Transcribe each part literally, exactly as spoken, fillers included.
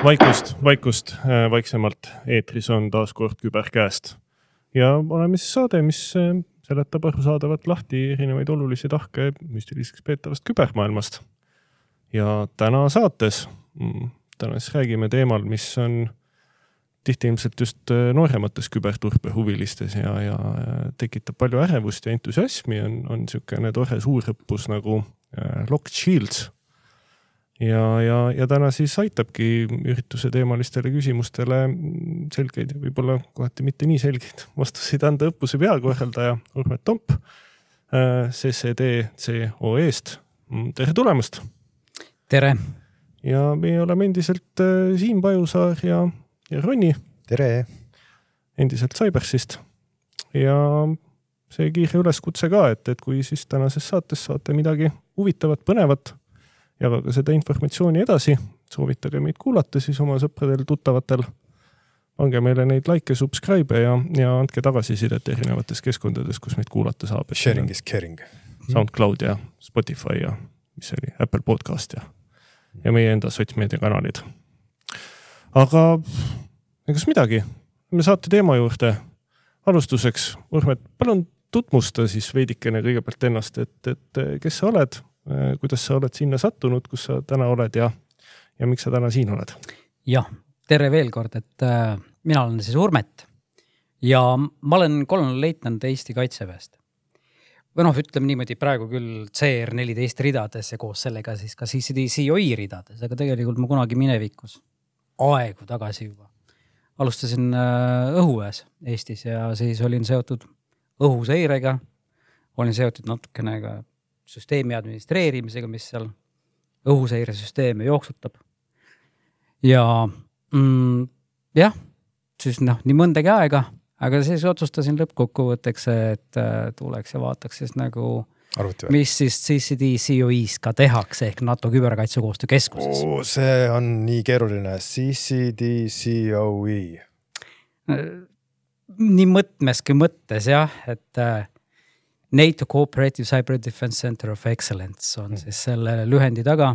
Vaikust, vaikust, vaiksemalt eetris on taas kord küberkäest. Ja oleme siis saade, mis seletab arusaadavalt lahti erinevaid olulisi tahke müstiliseks peetavast kübermaailmast. Ja täna saates, täna siis räägime teemal, mis on tihti ilmselt just nooremates küberturbe huvilistes ja, ja tekitab palju ärevust ja entusiasmi, on, on niisugune tore suurõppus nagu Locked Shields. Ja, ja, ja täna siis aitabki ürituse teemalistele küsimustele selgeid ja võib-olla kohati mitte nii selgeid vastuseid anda õppuse peakorraldaja Urmet Tomp C C D C O E-st. Tere tulemast! Tere! Ja me oleme endiselt Siim Pajusaar ja, ja Ronni. Tere! Endiselt Cybersist. Ja see kiire üleskutse ka, et, et kui siis tänases saates saate midagi huvitavat, põnevat, jagaga seda informatsiooni edasi, soovitage meid kuulata siis oma sõpradel, tuttavatel. Pange meile neid like, subscribe ja, ja andke tagasisidet erinevates keskkondades, kus meid kuulata saab. Sharing is caring. SoundCloud ja Spotify ja mis oli Apple Podcast ja, ja meie enda sotsmeedia kanalid. Aga kas midagi? Me saate teema juurde. Alustuseks, Urmet, palun tutmusta siis veidikene kõigepealt ennast, et, et kes sa oled, kuidas sa oled sinna sattunud, kus sa täna oled ja, ja miks sa täna siin oled? Jah, tere veel kord, et äh, mina olen siis Urmet ja ma olen kolonel leitnant Eesti Kaitseväest. Või noh, ütleme niimoodi praegu küll C R neliteist ridades ja koos sellega siis ka C C D C O E ridades, aga tegelikult ma kunagi minevikus aegu tagasi juba alustasin äh, õhuväes Eestis ja siis olin seotud õhuseirega, olin seotud natukene ka süsteemi administreerimisega, mis seal õhuseiresüsteeme jooksutab. Ja mm, jah, siis noh, nii mõndagi aega, aga siis otsustasin lõppkokkuvõtteks, et tuleks ja vaataks siis nagu, mis siis C C D C O E-s ka tehakse, ehk NATO küberkaitsekoostöö keskuses. Oo, see on nii keeruline. C C D C O E. Nii mõtmeski mõttes, jah, et NATO Cooperative Cyber Defense Center of Excellence on siis selle lühendi taga.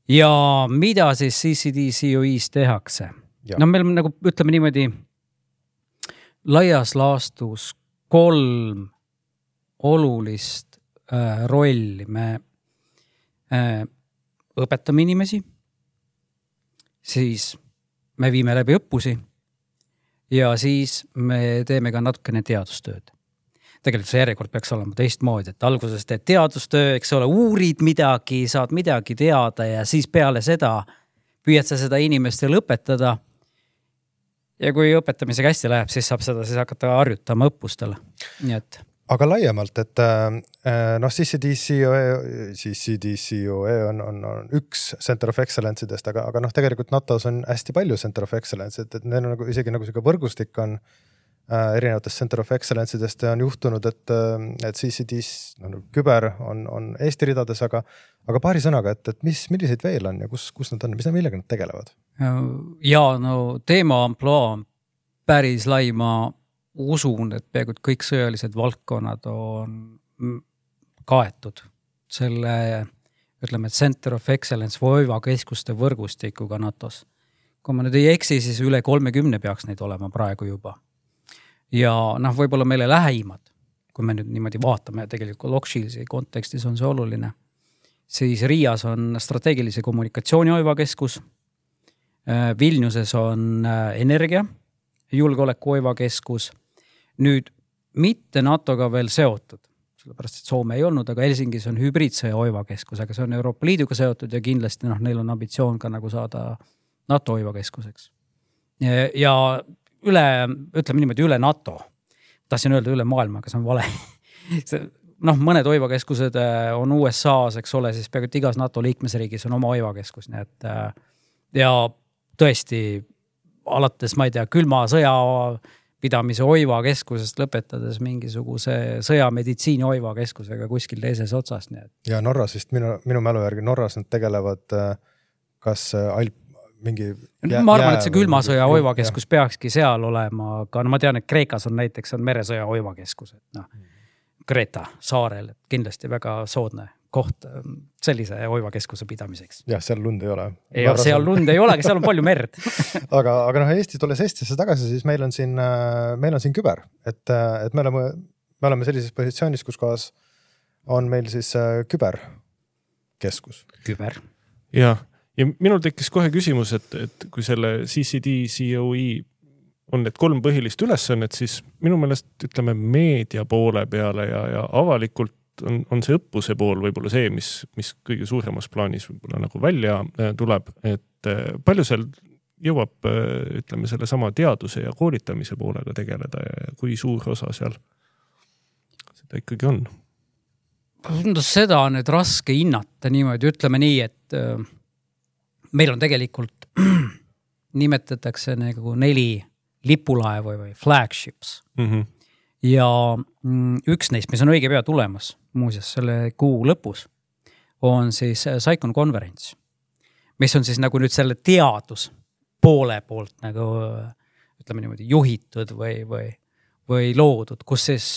Ja mida siis C C D C O E-s tehakse? Ja. No meil on nagu, ütleme niimoodi, laias laastus kolm olulist äh, rolli. Me äh, õpetame inimesi, siis me viime läbi õppusi ja siis me teeme ka natukene teadustööd. Tegelikult see järjekord peaks olema teistmoodi, et alguses teed teadustöö, eks ole, uurid midagi, saad midagi teada ja siis peale seda püüad sa seda inimestel õpetada. Ja kui õpetamisega hästi läheb, siis saab seda siis hakata harjutama õppustele. Nii et... Aga laiemalt, et noh, C C D C O E, C C D C O E on, on, on üks Center of Excellence'idest, aga, aga noh, tegelikult NATOs on hästi palju Center of Excellence, et, et neil on nagu, isegi nagu selline võrgustik on erinevatest Center of Excellence'idest on juhtunud, et, et C C D no, küber on, on Eesti ridades, aga, aga paari sõnaga, et, et mis, milliseid veel on ja kus, kus nad on, mis nad millega nad tegelevad? Ja no teema amploa on päris lai, ma usun, et peaaegu kõik sõjalised valdkonnad on kaetud selle, ütleme, Center of Excellence või OIVA keskuste võrgustikuga NATOs. Kui ma nüüd ei eksi, siis üle kolmekümne peaks neid olema praegu juba. Ja noh, võib-olla meile läheimad, kui me nüüd niimoodi vaatame, tegelikult Locked Shields'i kontekstis on see oluline, siis Riias on strateegilise kommunikatsiooni OIVA keskus, Vilniuses on energia, julgeoleku OIVA keskus, nüüd mitte NATOga veel seotud, sellepärast, et Soome ei olnud, aga Helsingis on hübriidsõja OIVA keskus, aga see on Euroopa Liiduga seotud ja kindlasti noh, neil on ambitsioon ka nagu saada NATO OIVA keskuseks. Ja, ja üle, ütleme niimoodi, üle NATO. Tahtsin öelda üle maailma, aga see on vale. noh, mõned OIVA keskused on U S A-s, eks ole, siis peaaegu igas NATO liikmesriigis on oma OIVA keskus. Nii et, ja tõesti, alates, ma ei tea, külma sõja pidamise OIVA keskusest lõpetades mingisuguse sõjameditsiini OIVA keskusega kuskil teises otsas. Nii et. Ja Norras vist, minu, minu mälu järgi, Norras nad tegelevad kas Alp mingi jää, ma arvan, et see külmasõja OIVA keskus peakski seal olema, aga no ma tean, et Kreekas on näiteks on meresõja OIVA keskus, et noh, Kreta saarel, et kindlasti väga soodne koht sellise oivakeskuse pidamiseks. jah, seal lund ei ole. Ja seal lund ei ole, aga seal on palju merd. aga, aga noh, Eesti tulles Eestisse tagasi, siis meil on siin, meil on siin küber, et, et me oleme, me oleme sellises positsioonis, kus kohas on meil siis küberkeskus. Küber. Ja, ja minul tekkis kohe küsimus, et, et kui selle C C D, C O E on need kolm põhilist ülesannet, siis minu meelest ütleme meedia poole peale ja, ja avalikult on, on see õppuse pool võib-olla see, mis, mis kõige suuremas plaanis võib-olla nagu välja tuleb, et palju seal jõuab, ütleme, selle sama teaduse ja koolitamise poolega tegeleda ja kui suur osa seal seda ikkagi on? Seda on nüüd raske hinnata niimoodi, ütleme nii, et meil on tegelikult nimetatakse nagu neli lipulaevu või flagships. Mm-hmm. Ja üks neist, mis on õige pea tulemas, muuseas selle kuu lõpus, on siis Saikon konverents, mis on siis nagu nüüd selle teadus poole poolt nagu ütleme niimoodi juhitud või, või, või loodud, kus siis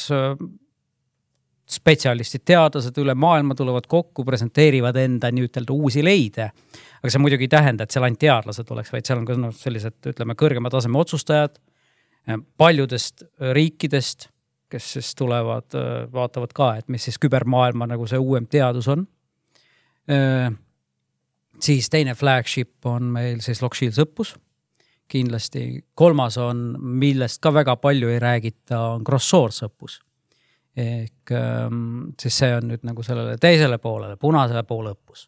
spetsialistid, teadlased üle maailma tulevad kokku, presenteerivad enda nii-ütelda uusi leide. Aga see muidugi ei tähenda, et seal ainult teadlased oleks, vaid seal on ka no, sellised, ütleme, kõrgema taseme otsustajad paljudest riikidest, kes siis tulevad, vaatavad ka, et mis siis kübermaailma nagu see uuem teadus on. Siis teine flagship on meil siis Lockshields õppus. Kindlasti kolmas on, millest ka väga palju ei räägita, on Cross-Source õppus. Ehk siis see on nüüd nagu sellele teisele poolele, punasele poole õppus.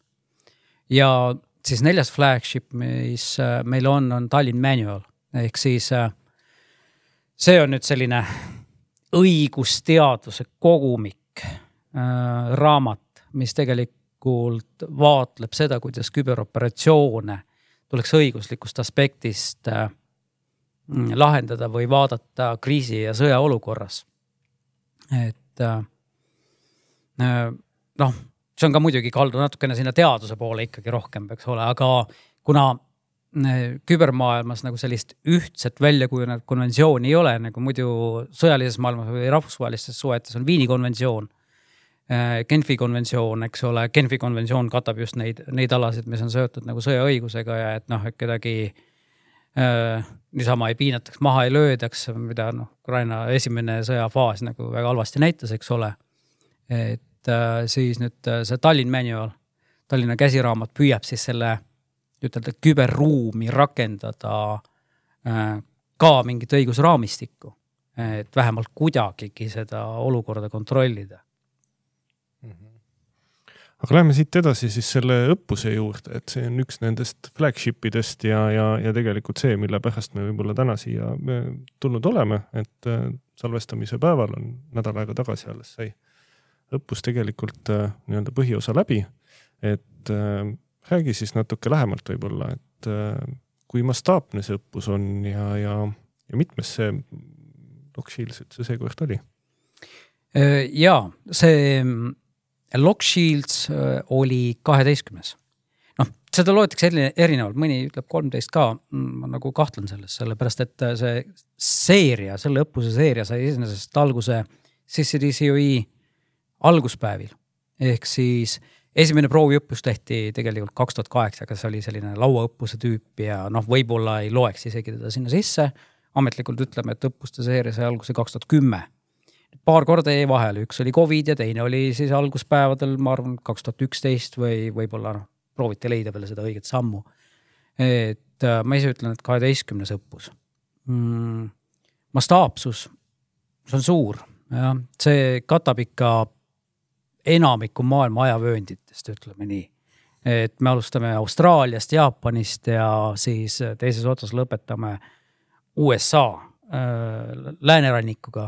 Ja siis neljas flagship, mis meil on, on Tallinn Manual. Ehk siis see on nüüd selline õigusteaduse kogumik äh, raamat, mis tegelikult vaatleb seda, kuidas küberoperatsioone tuleks õiguslikust aspektist äh, lahendada või vaadata kriisi ja sõja olukorras. Et äh, noh, see on ka muidugi kaldu natukene sinna teaduse poole ikkagi rohkem peaks ole, aga kuna kübermaailmas nagu sellist ühtset väljakujunenud konventsiooni ei ole, nagu muidu sõjalises maailmas või rahvusvahelistes suhetes on Viini konventsioon, Genfi konventsioon, eks ole, Genfi konventsioon katab just neid, neid alasid, mis on seotud nagu sõjaõigusega ja et noh, et kedagi äh, niisama ei piinataks, maha ei löödaks, mida noh, Ukraina esimene sõjafaas nagu väga halvasti näitas, eks ole. Et äh, siis nüüd see Tallinn Manual, Tallinna käsiraamat püüab siis selle ütelda küberruumi rakendada äh, ka mingit õigusraamistikku, et vähemalt kuidagigi seda olukorda kontrollida. Aga läheme siit edasi siis selle õppuse juurde, et see on üks nendest flagshipidest ja, ja, ja tegelikult see, mille pärast me võib-olla täna siia tulnud oleme, et äh, salvestamise päeval on nädal aega tagasi alles sai õppus tegelikult äh, nii-öelda põhiosa läbi, et äh, räägi siis natuke lähemalt võib-olla, et kui mastaapne see õppus on ja, ja, ja mitmes see Lockshields üldse see kord oli? Jaa, see Lockshields oli kaheteistkümnes. Noh, seda loetakse erinevalt, mõni ütleb kolmteist ka, ma nagu kahtlen selles, sellepärast, et see seeria, selle õppuse seeria sai esimesest alguse C C D C O E alguspäevil. Ehk siis esimene prooviõppus tehti tegelikult kaks tuhat kaheksa, aga see oli selline lauaõppuse tüüp ja noh, võib-olla ei loeks isegi teda sinna sisse. Ametlikult ütleme, et õppuste seeria sai alguse kaks tuhat kümme. Paar korda jäi vahele, üks oli COVID ja teine oli siis alguspäevadel, ma arvan, kaks tuhat üksteist või võib-olla noh, prooviti leida veel seda õiget sammu. Et ma ise ütlen, et kaheteistkümnes õppus. Mm, mastaapsus, see on suur. Ja, see katab ikka enamiku maailma ajavöönditest, ütleme nii. Et me alustame Austraaliast, Jaapanist ja siis teises otsas lõpetame U S A äh, läänerannikuga.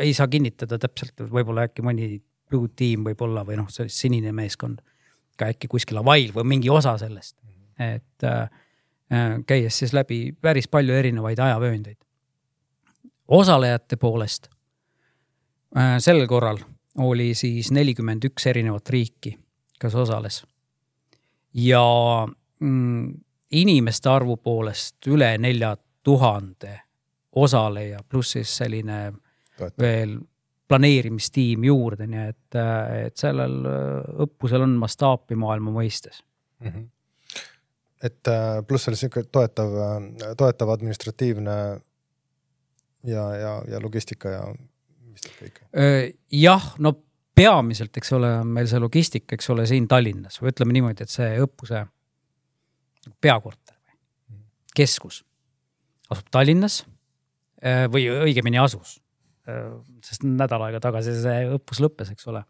Ei saa kinnitada täpselt, võib-olla äkki mõni blue team võib-olla või noh, see sinine meeskond ka äkki kuskil Havail või mingi osa sellest. Et äh, käies siis läbi päris palju erinevaid ajavööndeid. Osalejate poolest äh, sellel korral oli siis nelikümmend üks erinevat riiki, kes osales. Ja mm, inimeste arvu poolest üle nelja tuhande osaleja, pluss siis selline Toeta. veel planeerimistiim juurde, nii et, et sellel õppusel on mastaapi maailma mõistes. Mm-hmm. Et pluss oli siuke toetav, toetav administratiivne ja, ja, ja logistika ja mis teeb kõik? Jah, no peamiselt, eks ole, meil see logistika, eks ole, siin Tallinnas või ütleme niimoodi, et see õppuse peakorter või keskus asub Tallinnas või õigemini asus. Sest nädal aega tagasi see õppus lõppes, eks ole.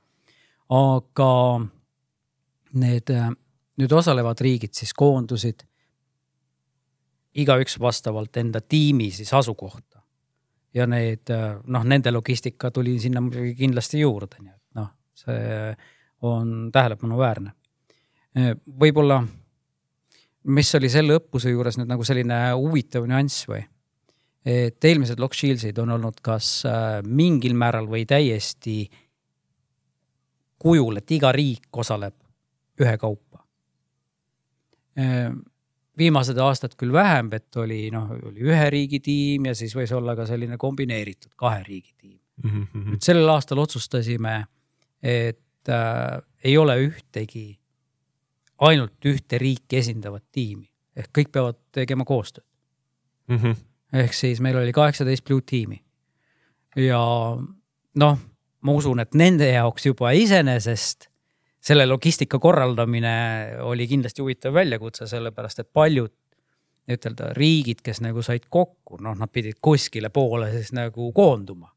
Aga need nüüd osalevad riigid siis koondusid iga üks vastavalt enda tiimi siis asukohta. Ja need, noh, nende logistika tuli sinna kindlasti juurde. Nii et, noh, see on tähelepanu väärne. Võib-olla, mis oli selle õppuse juures nüüd nagu selline huvitav nüanss või? Et eelmised Lock Shieldsid on olnud kas mingil määral või täiesti kujul, et iga riik osaleb ühe kaupa. Viimased aastad küll vähem, et oli, noh, oli ühe riigi tiim ja siis võis olla ka selline kombineeritud kahe riigi tiim. Mm-hmm. Nüüd sellel aastal otsustasime, et äh, ei ole ühtegi ainult ühte riiki esindavat tiimi. Ehk kõik peavad tegema koostööd. Mm-hmm. Ehk siis meil oli kaheksateist Blue tiimi. Ja noh, ma usun, et nende jaoks juba iseenesest selle logistika korraldamine oli kindlasti huvitav väljakutse, sellepärast, et paljud ütelda, riigid, kes nagu said kokku, noh, nad pidid kuskile poole siis nagu koonduma.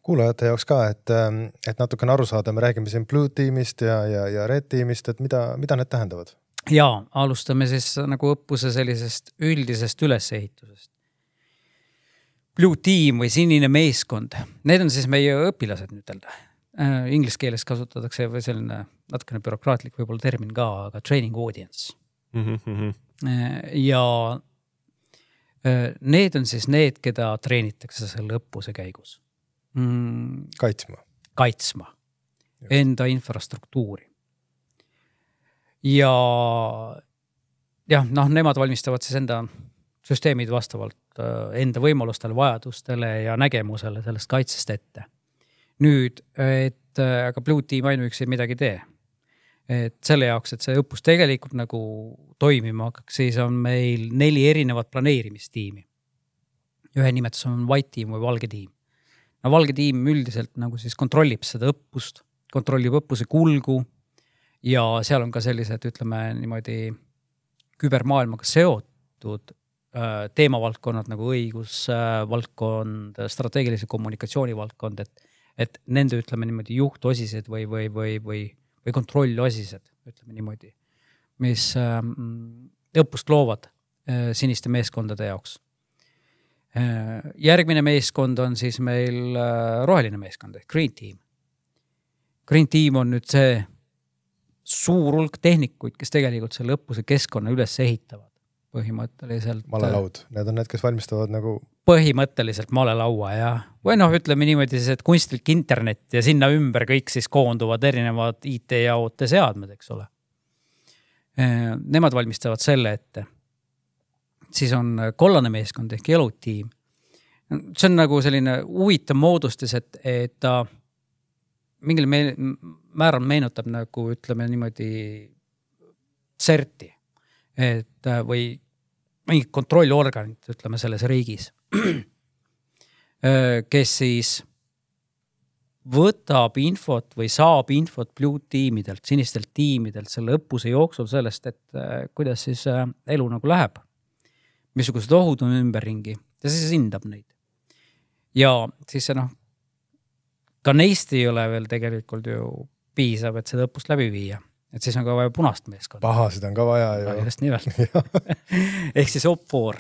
Kuulajate jaoks ka, et, et natukene aru saada, me räägime siin Blue tiimist ja, ja, ja Red tiimist, et mida, mida need tähendavad? Ja, alustame siis nagu õppuse sellisest üldisest ülesehitusest. Blue tiim või sinine meeskond, need on siis meie õpilased nüütelda. Inglis keeles kasutatakse või selline natukene bürokraatlik võib-olla termin ka, aga training audience. Mm-hmm. Ja need on siis need, keda treenitakse selle õppuse käigus. Mm, kaitsma. Kaitsma. Just. Enda infrastruktuuri. Ja jah, noh, nemad valmistavad siis enda süsteemid vastavalt enda võimalustele, vajadustele ja nägemusele sellest kaitsest ette. Nüüd, et aga Blue tiim ainuüksi midagi tee. Et selle jaoks, et see õppus tegelikult nagu toimima hakkaks, siis on meil neli erinevat planeerimistiimi. Ühe nimetus on White tiim või Valge tiim. No Valge tiim üldiselt nagu siis kontrollib seda õppust, kontrollib õppuse kulgu ja seal on ka sellised, ütleme niimoodi kübermaailmaga seotud teemavaldkonnad nagu õigus, valdkond, strateegilise kommunikatsiooni valdkond, et, et nende ütleme niimoodi juhtosised või, või, või, või, või kontrollosised, ütleme niimoodi, mis äh, õppust loovad äh, siniste meeskondade jaoks. Äh, järgmine meeskond on siis meil äh, roheline meeskond, Green Team. Green Team on nüüd see suur hulk tehnikuid, kes tegelikult selle õppuse keskkonna üles ehitavad. Põhimõtteliselt. Malelaud, need on need, kes valmistavad nagu... Põhimõtteliselt malelaua ja või noh, ütleme niimoodi siis, et kunstlik internet ja sinna ümber kõik siis koonduvad erinevad I T ja O T seadmed, eks ole. Nemad valmistavad selle ette. Siis on kollane meeskond ehk Yellow tiim. See on nagu selline huvitav moodustis, et, et ta mingil määral meenutab nagu ütleme niimoodi CERT-i. Et, või mingi kontrollorganit, ütleme selles riigis, kes siis võtab infot või saab infot Blue tiimidelt, sinistelt tiimidelt selle õppuse jooksul sellest, et kuidas siis elu nagu läheb, missugused ohud on ümberringi ja siis hindab neid. Ja siis see noh, ka neist ei ole veel tegelikult ju piisav, et seda õppust läbi viia. Et siis on ka vaja punast meeskond. Pahasid on ka vaja. Ja just nimelt. Ehk siis O P four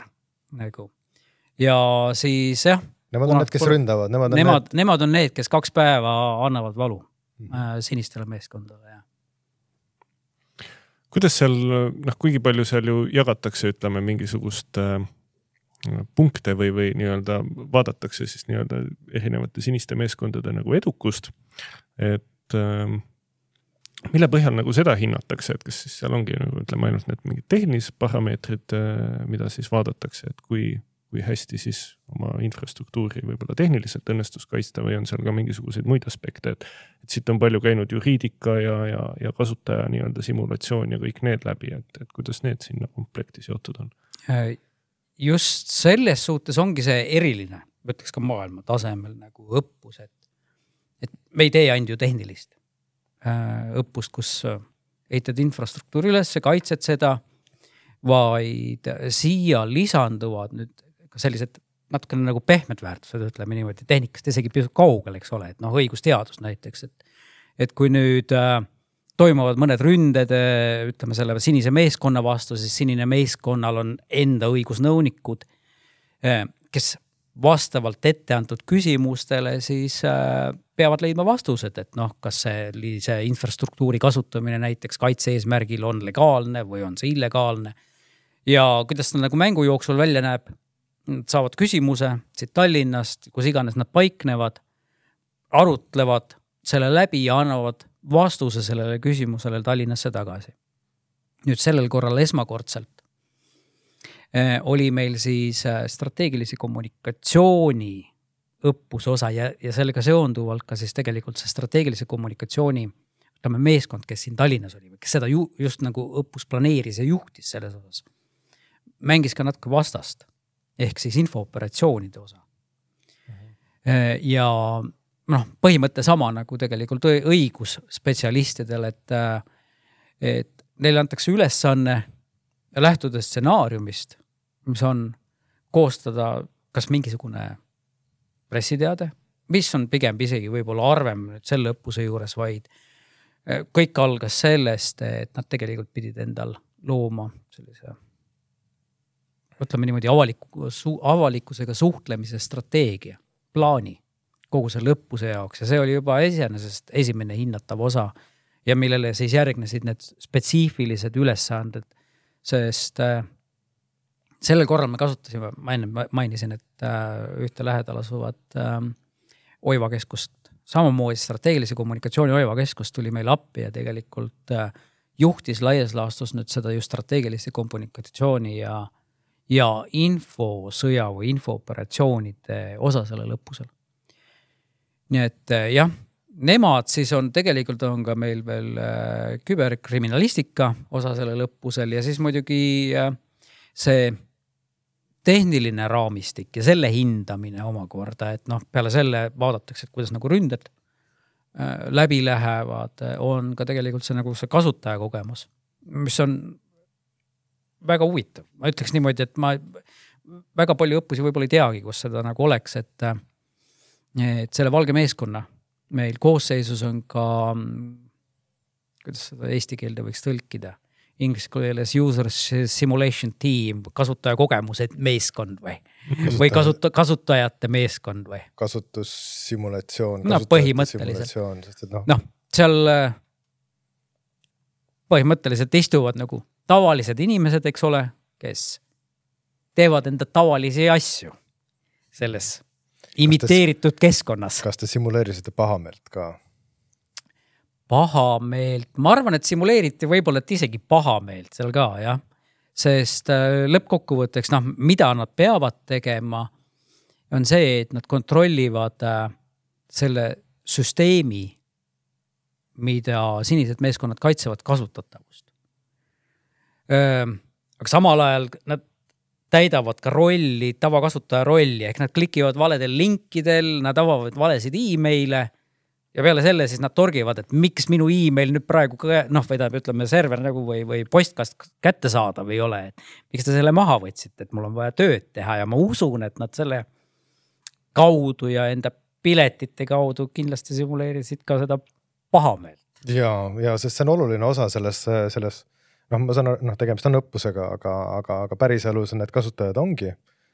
nagu. Ja siis jah. Nemad on need, kes ründavad. Nemad on, nemad, need... nemad on need, kes kaks päeva annavad valu mm. sinistele meeskondale. Ja. Kuidas seal, noh, kuigi palju seal ju jagatakse, ütleme, mingisugust äh, punkte või, või nii-öelda vaadatakse siis nii-öelda erinevate siniste meeskondade nagu edukust, et äh, mille põhjal nagu seda hinnatakse, et kas siis seal ongi nagu ütleme ainult need mingid tehnilised parameetrid, mida siis vaadatakse, et kui, kui hästi siis oma infrastruktuuri võib-olla tehniliselt õnnestus kaitsta või on seal ka mingisuguseid muid aspekte, et, et siit on palju käinud juriidika ja, ja, ja kasutaja nii-öelda simulatsioon ja kõik need läbi, et, et kuidas need sinna komplekti seotud on? Just selles suhtes ongi see eriline, võtaks ka maailma tasemel nagu õppus, et, et me ei tee ainult ju tehnilist õppust, kus eitad infrastruktuuri üles, kaitsed seda, vaid siia lisanduvad nüüd ka sellised natukene nagu pehmed väärtused, ütleme niimoodi, tehnikast isegi pisut kaugel, eks ole, et noh, õigusteadus näiteks, et, et kui nüüd äh, toimuvad mõned ründed, ütleme selle sinise meeskonna vastu, siis sinine meeskonnal on enda õigusnõunikud, äh, kes vastavalt ette antud küsimustele siis äh, peavad leidma vastused, et noh, kas see, see infrastruktuuri kasutamine näiteks kaitse eesmärgil on legaalne või on see illegaalne ja kuidas ta nagu mängu jooksul välja näeb. Nad saavad küsimuse siit Tallinnast, kus iganes nad paiknevad, arutlevad selle läbi ja annavad vastuse sellele küsimusele Tallinnasse tagasi. Nüüd sellel korral esmakordselt eh, oli meil siis strateegilise kommunikatsiooni õppuse osa ja, ja sellega seonduvalt ka siis tegelikult see strateegilise kommunikatsiooni ütleme, meeskond, kes siin Tallinnas oli, kes seda ju, just nagu õppus planeeris ja juhtis selles osas, mängis ka natuke vastast. Ehk siis infooperatsioonide osa. Uh-huh. Ja noh, põhimõte sama nagu tegelikult õigusspetsialistidel, et, et neile antakse ülesanne lähtudes stsenaariumist, mis on koostada kas mingisugune pressiteade, mis on pigem isegi võib-olla arvem nüüd selle õppuse juures, vaid kõik algas sellest, et nad tegelikult pidid endal looma sellise ütleme niimoodi avaliku, su, avalikkusega suhtlemise strateegia, plaani kogu selle õppuse jaoks ja see oli juba esimesest esimene hinnatav osa ja millele siis järgnesid need spetsiifilised ülesanded, sest äh, sellel korral me kasutasime, ma enne mainisin, et äh, ühte lähedal asuvat äh, Oiva keskust, samamoodi strateegilise kommunikatsiooni Oiva keskust tuli meil appi ja tegelikult äh, juhtis laias laastus nüüd seda just strateegilise kommunikatsiooni ja ja infosõja või infooperatsioonide osa selle lõppusel. Nii et jah, nemad siis on tegelikult on ka meil veel äh, küberkriminalistika osa selle lõppusel ja siis muidugi äh, see tehniline raamistik ja selle hindamine omakorda, et noh, peale selle vaadatakse, et kuidas nagu ründed äh, läbi lähevad, on ka tegelikult see nagu see kasutaja kogemus, mis on väga huvitav. Ma ütleks niimoodi, et ma väga palju õppusi võib-olla ei teagi, kus seda nagu oleks, et, et selle valge meeskonna meil koosseisus on ka, kuidas seda eesti keelde võiks tõlkida, inglise keeles user simulation team, kasutaja kogemused meeskond või, Kasutaj... või kasuta, kasutajate meeskond või? Kasutussimulatsioon. No põhimõtteliselt. Noh, no, seal põhimõtteliselt istuvad nagu tavalised inimesed, eks ole, kes teevad enda tavalisi asju selles imiteeritud keskkonnas. Kas te simuleerisite pahameelt ka? Pahameelt, ma arvan, et simuleeriti võib-olla et isegi pahameelt seal ka, jah. Sest lõppkokkuvõtteks, noh, mida nad peavad tegema, on see, et nad kontrollivad selle süsteemi, mida sinised meeskonnad kaitsevad kasutatavust. Aga samal ajal nad täidavad ka rolli, tavakasutaja rolli, ehk nad klikivad valedel linkidel, nad avavad valesid e-maile ja peale selle siis nad torgivad, et miks minu e-mail nüüd praegu noh, või ta ütleme server nagu või, või postkast kätte saada või ei ole, et miks te selle maha võtsite, et mul on vaja tööd teha ja ma usun, et nad selle kaudu ja enda piletite kaudu kindlasti simuleerisid ka seda pahameelt. Ja, ja sest see on oluline osa selles, selles noh, ma saan, noh, tegemist on õppusega, aga, aga, aga päris elus need kasutajad ongi.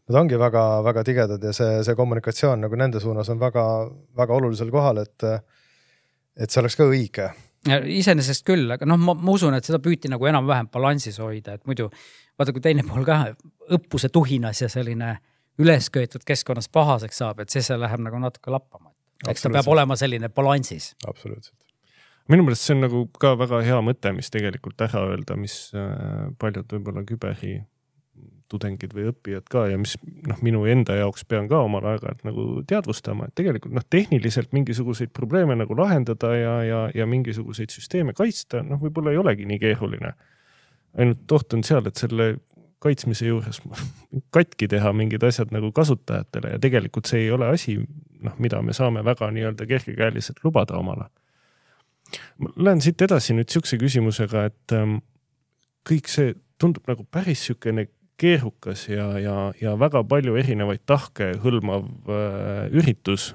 Nad ongi väga, väga tigedad ja see, see kommunikatsioon nagu nende suunas on väga, väga olulisel kohal, et, et see oleks ka õige. Iseenesest küll, aga noh, ma, ma usun, et seda püüti nagu enam-vähem balansis hoida, et muidu vaata, kui teine pool ka õppuse tuhinas ja selline ülesköetud keskkonnas pahaseks saab, et siis see läheb nagu natuke lappama. Eks ta peab olema selline balansis. Absoluutselt. Minu meelest see on nagu ka väga hea mõte, mis tegelikult ära öelda, mis paljud võib-olla küberi tudengid või õppijad ka ja mis noh, minu enda jaoks pean ka omal aeg-ajalt nagu teadvustama, et tegelikult noh, tehniliselt mingisuguseid probleeme nagu lahendada ja, ja, ja mingisuguseid süsteeme kaitsta, noh, võib-olla ei olegi nii keeruline. Ainult oht on seal, et selle kaitsmise juures katki teha mingid asjad nagu kasutajatele ja tegelikult see ei ole asi, noh, mida me saame väga nii-öelda kergekäeliselt lubada omale. Ma lähen siit edasi nüüd siukse küsimusega, et ähm, kõik see tundub nagu päris siukene keerukas ja, ja, ja väga palju erinevaid tahke hõlmav äh, üritus,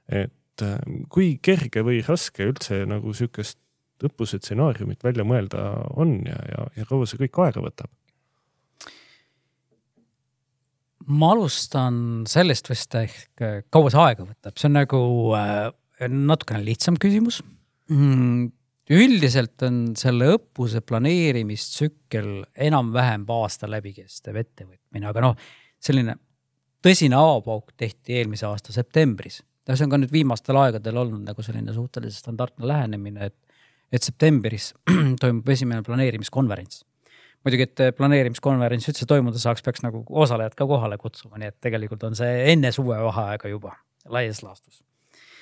et äh, kui kerge või raske üldse nagu siukest õppuse stsenaariumit välja mõelda on ja, ja, ja kaua see kõik aega võtab? Ma alustan sellest vist ehk kaua see aega võtab. See on nagu äh, natukene lihtsam küsimus. Mm. Üldiselt on selle õppuse planeerimistsükkel enam-vähem aasta läbi kestev ettevõtmine, aga noh, selline tõsine avapauk tehti eelmise aasta septembris. See on ka nüüd viimastel aegadel olnud nagu selline suhteliselt standardne lähenemine, et, et septembris toimub esimene planeerimiskonverents. Muidugi, et planeerimiskonverents üldse toimuda saaks, peaks nagu osalejad ka kohale kutsuma, nii et tegelikult on see enne suvevaheaega juba laias laastus.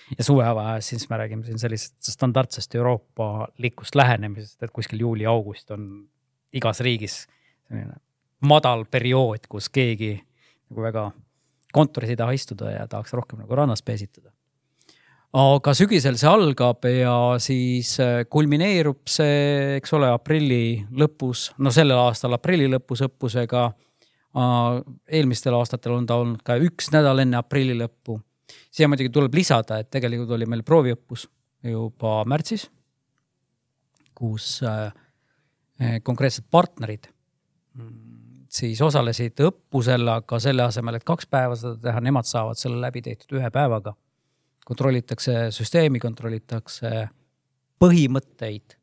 Ja suvevaheajas siis me räägime siin sellisest standardsest Euroopa likust lähenemisest, et kuskil juuli-august on igas riigis madal periood, kus keegi nagu väga kontoris ei taha istuda ja tahaks rohkem nagu rannas peesitada. Aga sügisel see algab ja siis kulmineerub see, eks ole, aprilli lõpus, no sellel aastal aprilli lõpus õppusega, eelmistel aastatel on ta olnud ka üks nädal enne aprilli lõppu. Siia muidugi tuleb lisada, et tegelikult oli meil prooviõppus juba märtsis, kus konkreetsed partnerid siis osalesid õppusel, aga selle asemel, et kaks päeva seda teha, nemad saavad selle läbi tehtud ühe päevaga. Kontrollitakse süsteemi, kontrollitakse põhimõtteid,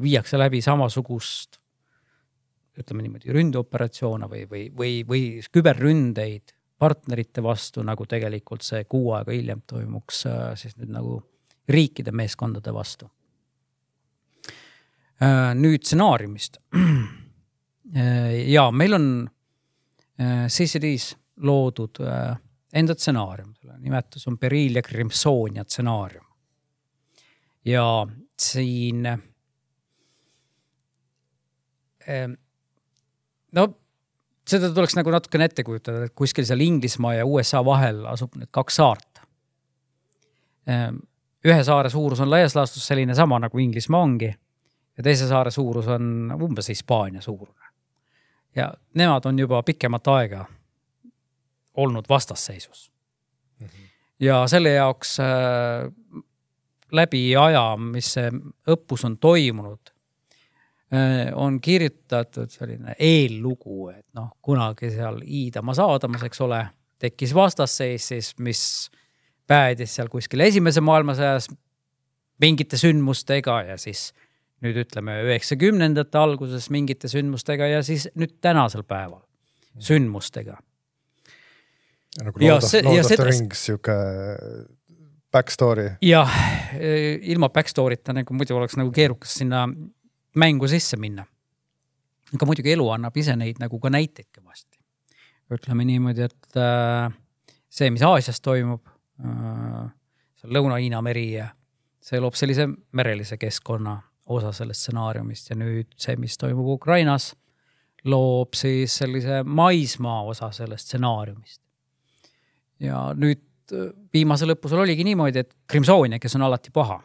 viiakse läbi samasugust, ütleme niimoodi, ründeoperatsioone või, või, või, või küberründeid partnerite vastu, nagu tegelikult see kuu aega hiljem toimuks siis nüüd nagu riikide meeskondade vastu. Nüüd stsenaariumist. Ja meil on C C D-s loodud enda stsenaarium. Nimetus on Beryl ja Crimsonia stsenaarium. Ja siin no seda tuleks nagu natukene ette kujutada, et kuskil seal Inglismaa ja U S A vahel asub need kaks saart. Ühe saare suurus on laias laastus selline sama nagu Inglismaa ongi ja teise saare suurus on umbes Hispaania suurune. Ja nemad on juba pikemat aega olnud vastasseisus. Mm-hmm. Ja selle jaoks äh, läbi aja, mis see õppus on toimunud, on kirjutatud selline eellugu, et noh, kunagi seal Iidamas Aadamas, eks ole, tekkis vastasseis, siis mis päädis seal kuskil esimese maailmasõjas mingite sündmustega ja siis nüüd ütleme üheksakümnendate alguses mingite sündmustega ja siis nüüd tänasel päeval sündmustega. Ja nagu Lord, of, Lord of the Rings siuke backstory. Ja ilma backstory'ta nagu muidu oleks nagu keerukas sinna mängu sisse minna. Aga muidugi elu annab ise neid nagu ka näiteid kõvasti. Ütleme niimoodi, et äh, see, mis Aasias toimub, äh, see Lõuna-Hiina meri ja see loob sellise merelise keskkonna osa sellest stsenaariumist ja nüüd see, mis toimub Ukrainas, loob siis sellise maismaa osa sellest stsenaariumist. Ja nüüd viimase lõpusel oligi niimoodi, et Crimsonia, kes on alati paha,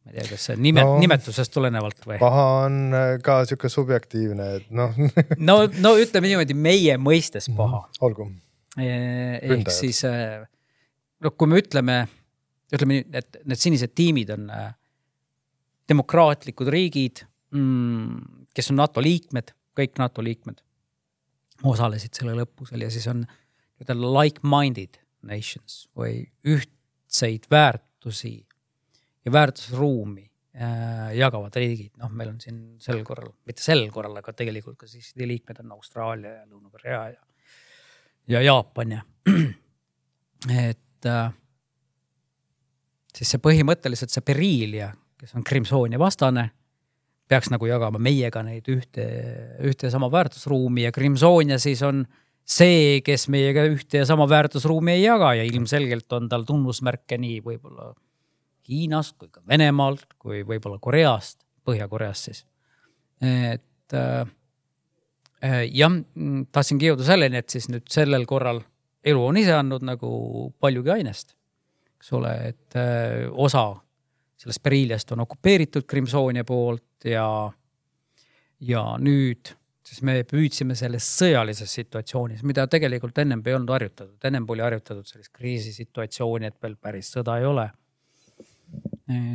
ma ei tea, kas see nimet, no, nimetusest tulenevalt või? Paha on ka siuke subjektiivne, et noh. no, no ütleme niimoodi meie mõistes paha. Olgu. Ehk siis, no, kui me ütleme, ütleme, et need sinised tiimid on demokraatlikud riigid, kes on NATO liikmed, kõik NATO liikmed osalesid selle lõpusel ja siis on like-minded nations või ühtseid väärtusi ja väärtusruumi äh, jagavad riigid. Noh, meil on siin sel korral, mitte sel korral, aga tegelikult ka siis liikmed on Austraalia ja Lõuna-Korea ja, ja Jaapan ja et äh, siis see põhimõtteliselt see Beryl, kes on Crimsonia vastane, peaks nagu jagama meiega neid ühte, ühte sama väärtusruumi ja Crimsonia siis on see, kes meiega ühte ja sama väärtusruumi ei jaga ja ilmselgelt on tal tunnusmärke nii võib-olla Hiinast kui ka Venemaalt, kui võib-olla Koreast, Põhja-Koreast siis. Et äh, jah, tahtsingi jõuda selleni, et siis nüüd sellel korral elu on ise andnud nagu paljugi ainest. Eks ole, et äh, osa sellest Periiliast on okupeeritud Crimsonia poolt ja, ja nüüd siis me püüdsime selles sõjalises situatsioonis, mida tegelikult ennem ei olnud harjutatud. Ennem oli harjutatud sellist kriisisituatsiooni, et veel päris sõda ei ole.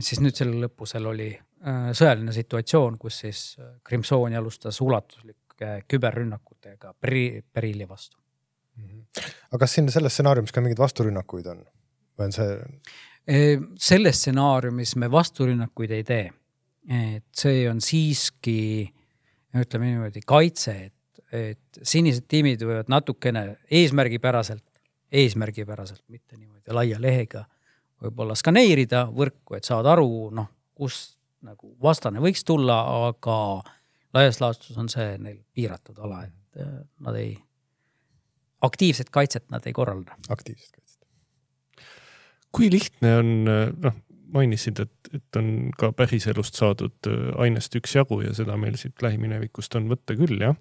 Siis nüüd selle lõpusel oli sõjaline situatsioon, kus siis Crimsonia alustas ulatuslike küberrünnakutega Periili vastu. Aga kas siin selles stsenaariumis ka mingid vasturünnakuid on? Või on see... Selles stsenaariumis me vasturünnakuid ei tee. Et see on siiski, ütleme niimoodi, kaitse, et, et sinised tiimid võivad natukene eesmärgipäraselt, eesmärgipäraselt, mitte niimoodi laia lehega, võib-olla skaneerida võrku, et saad aru, noh, kus nagu vastane võiks tulla, aga laias laastus on see neil piiratud ala, et nad ei, aktiivset kaitset nad ei korralda. Aktiivset kaitset. Kui lihtne on, noh, mainisid, et, et on ka päriselust saadud ainest üks jagu ja seda meil siit lähiminevikust on võtta küll, jah.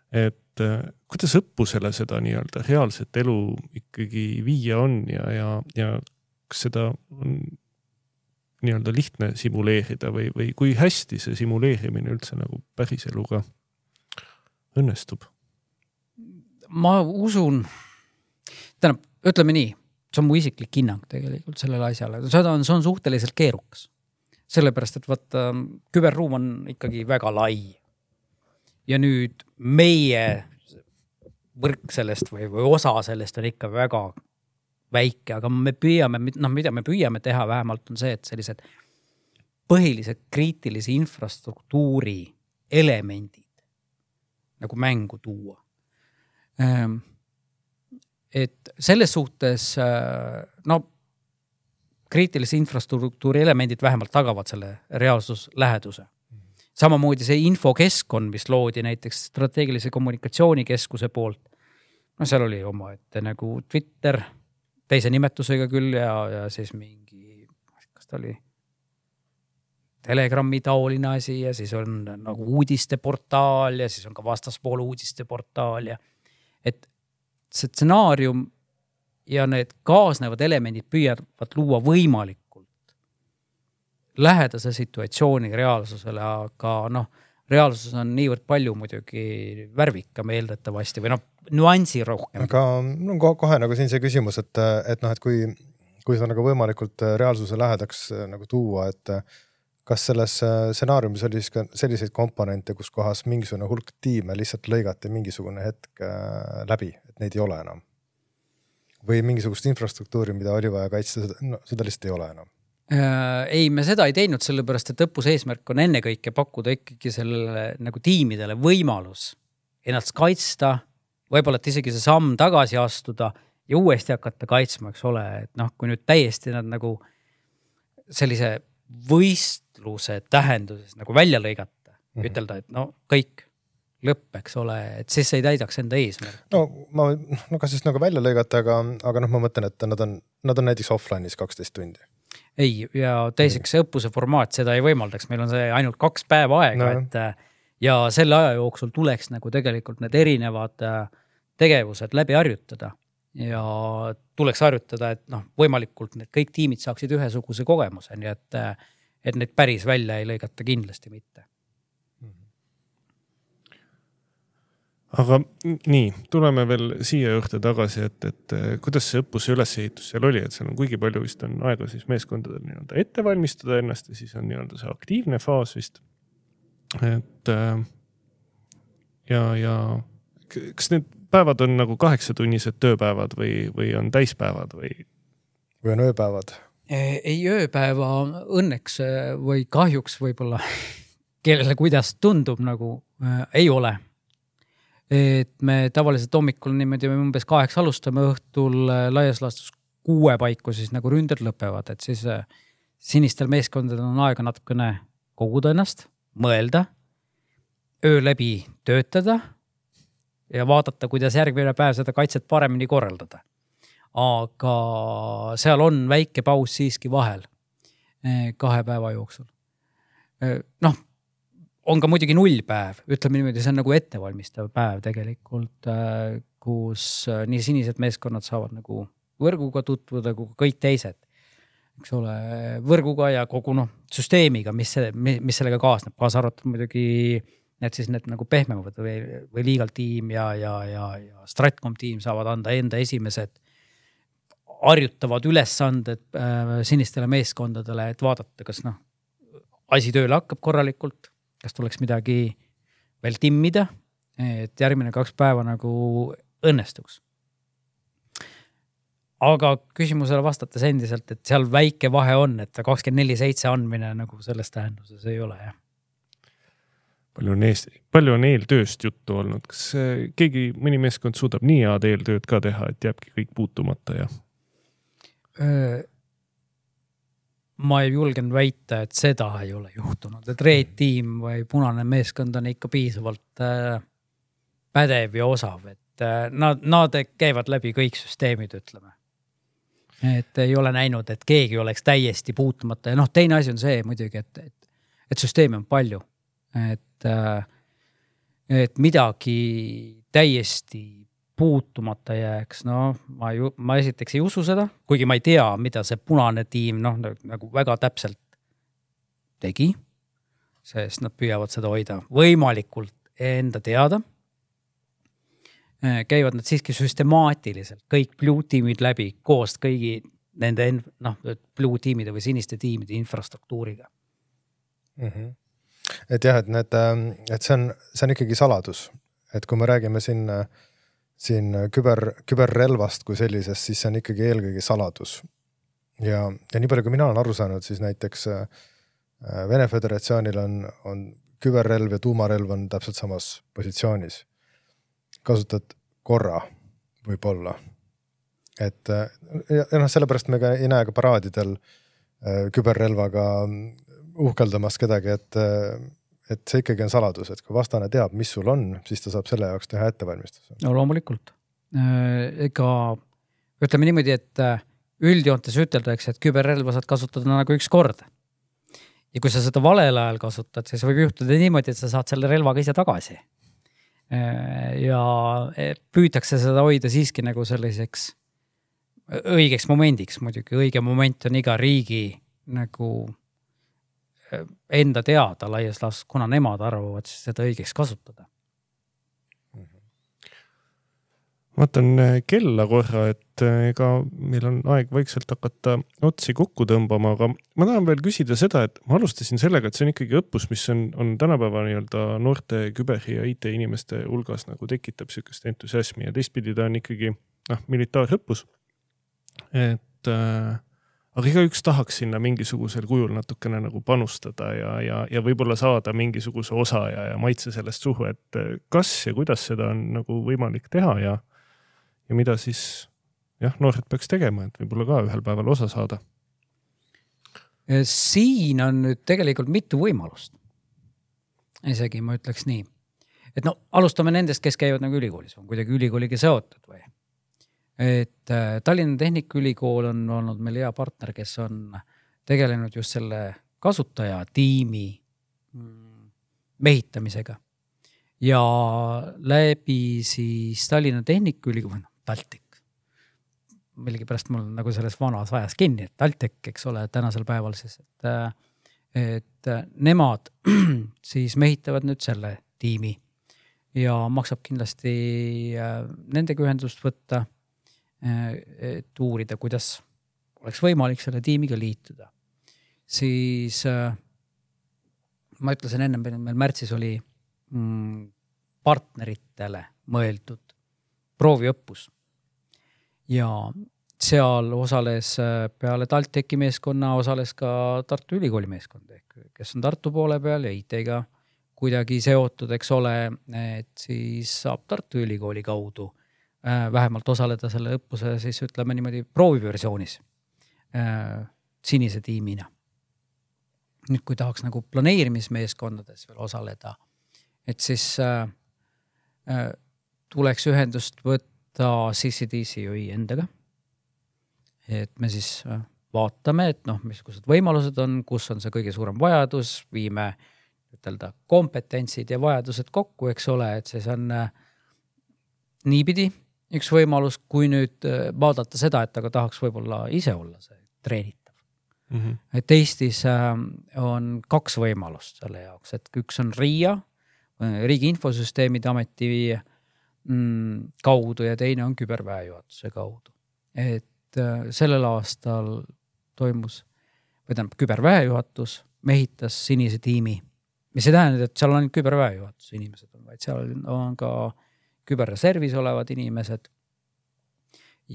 Et kuidas õppusele seda nii-öelda reaalset elu ikkagi viia on ja, ja, ja kas seda on nii-öelda lihtne simuleerida või, või kui hästi see simuleerimine üldse nagu päriseluga õnnestub? Ma usun, tähendab, ütleme nii, see on mu isiklik hinnang tegelikult sellele asjale. Seda on, see on suhteliselt keerukas. Sellepärast, et vaata, küberruum on ikkagi väga lai. Ja nüüd meie võrk sellest või, või osa sellest on ikka väga väike, aga me püüame, noh, mida me püüame teha vähemalt on see, et sellised põhilised kriitilise infrastruktuuri elemendid nagu mängu tuua. Et selles suhtes, no, kriitilise infrastruktuuri elemendid vähemalt tagavad selle reaalsusläheduse. Samamoodi see infokeskkond, mis loodi näiteks strateegilise kommunikatsioonikeskuse poolt, no seal oli oma ette nagu Twitter, teise nimetusega küll ja, ja siis mingi, kas ta oli Telegrami taoline asi ja siis on nagu uudisteportaal ja siis on ka vastaspool uudisteportaal ja et see stsenaarium ja need kaasnevad elemendid püüavad luua võimalikult lähedase situatsiooni reaalsusele, aga noh, reaalsus on niivõrd palju muidugi värvikam eeldatavasti või noh, nüansi rohkem. Aga no, kohe nagu siin see küsimus, et, et, noh, et kui, kui sa nagu võimalikult reaalsuse lähedaks nagu tuua, et kas selles stsenaariumis oli ka selliseid komponente, kus kohas mingisugune hulk tiime lihtsalt lõigati mingisugune hetk läbi, et neid ei ole enam? Või mingisugust infrastruktuuri, mida oli vaja kaitsta, no, seda lihtsalt ei ole enam? Ei, me seda ei teinud sellepärast, et õppuse eesmärk on enne kõike pakkuda ikkagi sellele nagu tiimidele võimalus ennast kaitsta, võib-olla et isegi see samm tagasi astuda ja uuesti hakata kaitsma, eks ole, et noh, kui nüüd täiesti nad nagu sellise võistluse tähenduses nagu välja lõigata, mm-hmm. ütelda, et no kõik lõpp, eks ole, et siis ei täidaks enda eesmärk. No, ma, no kas siis nagu välja lõigata, aga, aga noh, ma mõtlen, et nad on, nad on näiteks offline'is kaksteist tundi. Ei, ja teiseks see õppuse formaat seda ei võimaldaks, meil on see ainult kaks päeva aega, no. et ja selle aja jooksul tuleks nagu tegelikult need erinevad tegevused läbi harjutada ja tuleks harjutada, et noh, võimalikult need kõik tiimid saaksid ühesuguse kogemuse, nii et, et neid päris välja ei lõigata kindlasti mitte. Aga nii, tuleme veel siia juurde tagasi, et, et kuidas see õppuse ülesehitus seal oli, et seal on kuigi palju vist on aega siis meeskondadel nii-öelda ette valmistada ennast ja siis on nii-öelda see aktiivne faas vist. Et ja, ja kas need päevad on nagu kaheksatunnised tööpäevad või, või on täispäevad või? Või on ööpäevad? Ei, ööpäeva õnneks või kahjuks võib-olla kellele kuidas tundub nagu äh, ei ole. Et me tavaliselt hommikul niimoodi me umbes kaheks alustame õhtul laias laastus kuue paiku siis nagu ründed lõpevad, et siis sinistel meeskondadel on aega natukene koguda ennast, mõelda, öö läbi töötada ja vaadata, kuidas järgmine päev seda kaitset paremini korraldada. Aga seal on väike paus siiski vahel kahe päeva jooksul. Noh, on ka muidugi nullpäev, ütleme niimoodi, see on nagu ettevalmistav päev tegelikult, kus nii sinised meeskonnad saavad nagu võrguga tutvuda kui kõik teised. Eks ole, võrguga ja kogu noh, süsteemiga, mis, mis sellega kaasneb. Kaasa arvatud muidugi need siis need nagu pehmemad või, või legal tiim ja, ja, ja, ja Stratcom tiim saavad anda enda esimesed harjutavad ülesanded äh, sinistele meeskondadele, et vaadata, kas noh, asi tööle hakkab korralikult, kas tuleks midagi veel timmida, et järgmine kaks päeva nagu õnnestuks. Aga küsimusele vastates endiselt, et seal väike vahe on, et kakskümmend neli seitse andmine nagu selles tähenduses ei ole. Jah. Palju on, eest, palju on eeltööst juttu olnud? Kas keegi, mõni meeskond suudab nii head eeltööd ka teha, et jääbki kõik puutumata? Ja? Ma ei julgen väita, et seda ei ole juhtunud. Et Red Team või punane meeskond on ikka piisavalt pädev ja osav. Et nad, nad käivad läbi kõik süsteemid, ütleme. Et ei ole näinud, et keegi oleks täiesti puutumata. Ja noh, teine asi on see muidugi, et, et, et süsteemi on palju. Et, et midagi täiesti puutumata jääks. No, ma, ju, ma esiteks ei usu seda, kuigi ma ei tea, mida see punane tiim noh, nagu väga täpselt tegi, sest nad püüavad seda hoida võimalikult enda teada. Käivad nad siiski süstemaatiliselt kõik blue tiimid läbi koos kõigi nende noh, blue tiimide või siniste tiimide infrastruktuuriga. Mm-hmm. Et jah, et, need, et see, on, see on ikkagi saladus. Et kui me räägime siin, siin küber, küberrelvast kui sellisest, siis see on ikkagi eelkõige saladus. Ja, ja nii palju, kui mina olen aru saanud, siis näiteks Vene Föderatsioonil on, on küberrelv ja tuumarelv on täpselt samas positsioonis. Kasutad korra võib-olla. Et ja, ja noh, sellepärast me ka ei näe ka paraadidel küberrelvaga uhkeldamas kedagi, et, et see ikkagi on saladus, et kui vastane teab, mis sul on, siis ta saab selle jaoks teha ettevalmistuse. No loomulikult. Ega ütleme niimoodi, et üldjoontes üteldakse, et küberrelva saad kasutada nagu üks kord. Ja kui sa seda valel ajal kasutad, siis võib juhtuda niimoodi, et sa saad selle relvaga ise tagasi. Ja püütakse seda hoida siiski nagu selliseks õigeks momendiks muidugi. Õige moment on iga riigi nagu enda teada laias laas, kuna nemad arvavad seda õigeks kasutada. Vaatan kella korra, et ega meil on aeg vaikselt hakata otsi kokku tõmbama, aga ma tahan veel küsida seda, et ma alustasin sellega, et see on ikkagi õppus, mis on, on tänapäeva nii-öelda noorte küber- ja I T inimeste hulgas nagu tekitab sellist entusiasmi ja teistpidi ta on ikkagi noh, militaarõppus. Et äh, aga iga üks tahaks sinna mingisugusel kujul natukene nagu panustada ja, ja, ja võib-olla saada mingisuguse osa ja, ja maitse sellest suhu, et kas ja kuidas seda on nagu võimalik teha ja ja mida siis jah, noored peaks tegema, et võib-olla ka ühel päeval osa saada? Siin on nüüd tegelikult mitu võimalust. Isegi ma ütleks nii. Et no, alustame nendest, kes käivad nagu ülikoolis, on kuidagi ülikooliga seotud või. Et Tallinna Tehnikaülikool on olnud meil hea partner, kes on tegelenud just selle kasutaja tiimi mehitamisega. Ja läbi siis Tallinna Tehnikaülikool, Taltek. Millegi pärast mul nagu selles vanas ajas kinni, et Taltek, eks ole, tänasel päeval siis, et, et nemad siis mehitavad nüüd selle tiimi ja maksab kindlasti nendega ühendust võtta, et uurida, kuidas oleks võimalik selle tiimiga liituda. Siis ma ütlesin enne, meil märtsis oli partneritele mõeldud prooviõppus. Ja seal osales peale Talteki meeskonna, osales ka Tartu Ülikooli meeskond, kes on Tartu poole peal ja I T-ga kuidagi seotud, eks ole, et siis saab Tartu Ülikooli kaudu vähemalt osaleda selle õppuse, siis ütleme niimoodi prooviversioonis sinise tiimina. nüüd kui tahaks nagu planeerimismeeskondades veel osaleda, et siis äh, äh, tuleks ühendust võtta C C D C O I endaga. Et me siis äh, vaatame, et noh, missugused võimalused on, kus on see kõige suurem vajadus, viime ütelda kompetentsid ja vajadused kokku, eks ole, et siis on äh, niipidi üks võimalus, kui nüüd äh, vaadata seda, et aga tahaks võib-olla ise olla see treenitav. Mm-hmm. Et Eestis äh, on kaks võimalust selle jaoks, et üks on R I A, Riigi Infosüsteemide Ameti mm, kaudu ja teine on küberväejuhatuse kaudu. Et äh, sellel aastal toimus, või tähendab, küberväejuhatus mehitas sinise tiimi, mis ei tähenda, et seal on ainult küberväejuhatus inimesed, vaid seal on ka küberreservis olevad inimesed.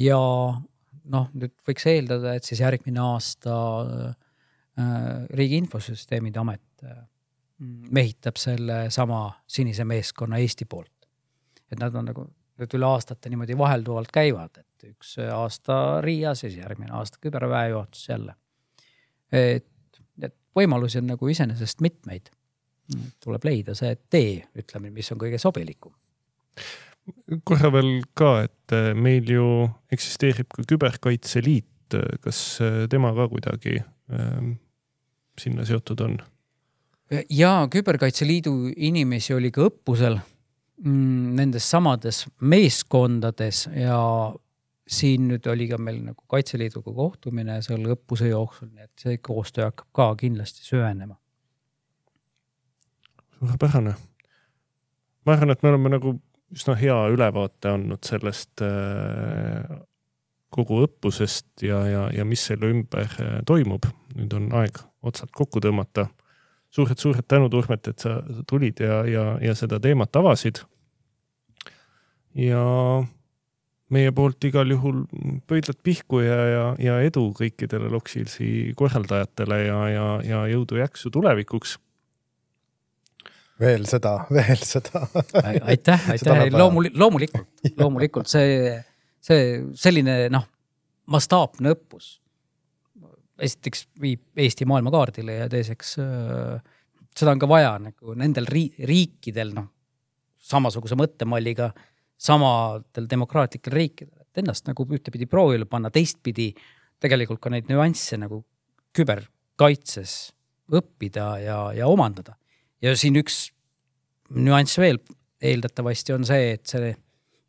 Ja noh, nüüd võiks eeldada, et siis järgmine aasta äh, Riigi Infosüsteemide Amet äh, mehitab selle sama sinise meeskonna Eesti poolt. Et nad on nagu nüüd üle aastate niimoodi vahelduvalt käivad, et üks aasta R I A, siis järgmine aasta küberväejuhatus jälle. Et, et võimalusi on nagu iseenesest mitmeid. Tuleb leida see tee, ütleme, mis on kõige sobilikum. Korra veel ka, et meil ju eksisteerib ka Küberkaitseliit, kas tema ka kuidagi äh, sinna seotud on? Ja Küberkaitseliidu inimesi oli ka õppusel mm, nendes samades meeskondades ja siin nüüd oli ka meil nagu Kaitseliiduga kohtumine selle õppuse jooksul, nii et see koostöö hakkab ka kindlasti süvenema. Suurepärane. Ma arvan, et me oleme nagu üsna hea ülevaate andnud sellest äh, kogu õppusest ja, ja, ja mis selle ümber äh, toimub. Nüüd on aeg otsad kokku tõmmata. Suured, suured tänud, Urmet, et sa tulid ja, ja, ja seda teemat avasid. Ja meie poolt igal juhul pöidlad pihku ja, ja, ja edu kõikidele Locksealsi korraldajatele ja, ja, ja jõudu jaksu tulevikuks. Veel seda, veel seda. Aitäh, aitäh. Loomulikult, loomulikult, loomulikult see, see selline noh, mastaapne õppus. Esiteks viib Eesti maailmakaardile ja teiseks seda on ka vaja nagu nendel riikidel noh, samasuguse mõttemalliga samadel demokraatlikel riikidel, et ennast nagu ühtepidi proovile panna, teistpidi tegelikult ka neid nüansse nagu küberkaitses õppida ja, ja omandada. Ja siin üks nüanss veel eeldatavasti on see, et see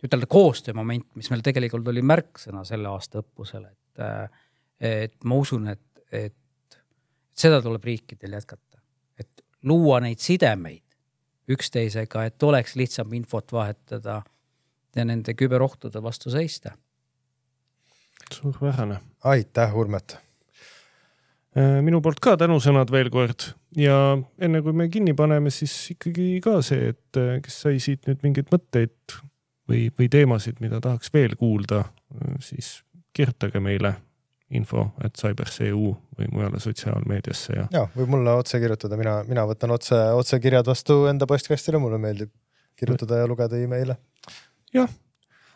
ütelda koostöömoment, mis meil tegelikult oli märksõna selle aasta õppusel, et, et ma usun, et, et seda tuleb riikidel jätkata. Et luua neid sidemeid üksteisega, et oleks lihtsam infot vahetada ja nende küberohtude vastu seista. Suurvähane. Aitäh, Urmet! Minu poolt ka tänusõnad veel kord ja enne kui me kinni paneme, siis ikkagi ka see, et kes sai siit nüüd mingeid mõtteid või, või teemasid, mida tahaks veel kuulda, siis kirjutage meile info et cyber.eu või mujale sotsiaalmeediasse. Ja, ja või mulle otse kirjutada, mina, mina võtan otse, otse kirjad vastu enda postkastile, mulle meeldib kirjutada ja lugeda e-maile. Jah.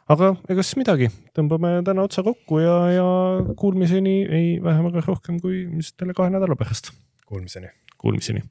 Aga egas midagi, tõmbame täna otsa kokku ja, ja kuulmiseni ei vähem aga rohkem kui mis teile kahe nädala pärast. Kuulmiseni. Kuulmiseni.